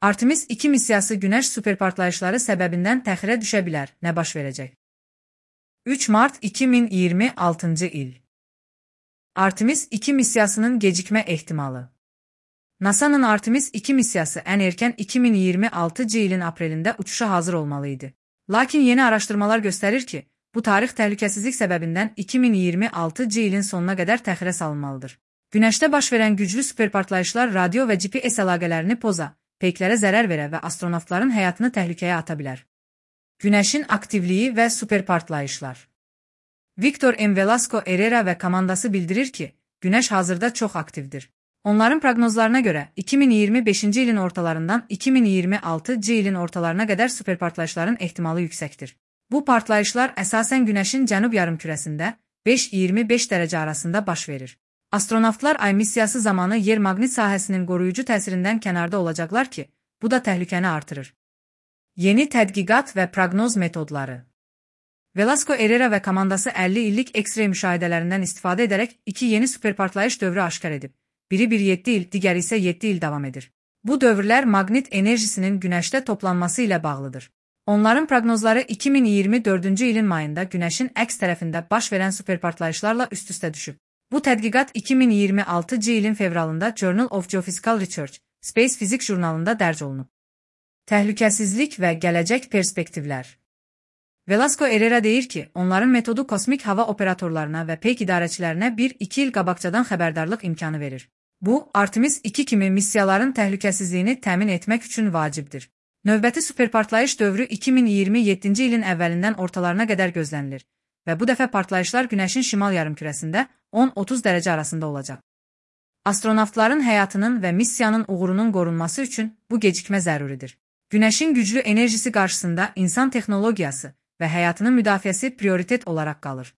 Artemis 2 missiyası Günəş superpartlayışları səbəbindən təxirə düşə bilər. Nə baş verəcək? 3 Mart 2026 il. Artemis 2 missiyasının gecikmə ehtimalı. NASA'nın Artemis 2 missiyası ən erkən 2026 ilin aprelində uçuşa hazır olmalı idi. Lakin yeni araşdırmalar göstərir ki, bu tarix təhlükəsizlik səbəbindən 2026 ilin sonuna qədər təxirə salınmalıdır. Günəşdə baş verən güclü superpartlayışlar radio və GPS əlaqələrini poza, peyklərə zərər verə və astronavtların həyatını təhlükəyə ata bilər. Günəşin aktivliyi və superpartlayışlar. Victor M. Velasco Herrera və komandası bildirir ki, Günəş hazırda çox aktivdir. Onların proqnozlarına görə 2025 ilin ortalarından 2026 ilin ortalarına qədər superpartlayışların ehtimalı yüksəkdir. Bu partlayışlar əsasən Günəşin cənub yarımkürəsində 5-25 dərəcə arasında baş verir. Astronavtlar Ay missiyası zamanı yer maqnit sahəsinin qoruyucu təsirindən kənarda olacaqlar ki, bu da təhlükəni artırır. Yeni tədqiqat və proqnoz metodları. Velasco Herrera və komandası 50 illik X-ray müşahidələrindən istifadə edərək 2 yeni superpartlayış dövrü aşkar edib. Biri 7 il, digəri isə 7 il davam edir. Bu dövrlər maqnit enerjisinin Günəşdə toplanması ilə bağlıdır. Onların proqnozları 2024 ilin mayında Günəşin əks tərəfində baş verən superpartlayışlarla üst-üstə düşüb. Bu tədqiqat 2026 ilin fevralında Journal of Geophysical Research, Space Physics jurnalında dərc olunub. Təhlükəsizlik və gələcək perspektivlər. Velasco Herrera deyir ki, onların metodu kosmik hava operatorlarına və peyk idarəçilərinə 1-2 il qabaqcadan xəbərdarlıq imkanı verir. Bu, Artemis 2 kimi missiyaların təhlükəsizliyini təmin etmək üçün vacibdir. Növbəti superpartlayış dövrü 2027 ilin əvvəlindən ortalarına qədər gözlənilir və bu dəfə partlayışlar Günəşin şimal yarımkürəsində 10-30 dərəcə arasında olacaq. Astronavtların həyatının və missiyanın uğurunun qorunması üçün bu gecikmə zəruridir. Günəşin güclü enerjisi qarşısında insan texnologiyası və həyatının müdafiəsi prioritet olaraq qalır.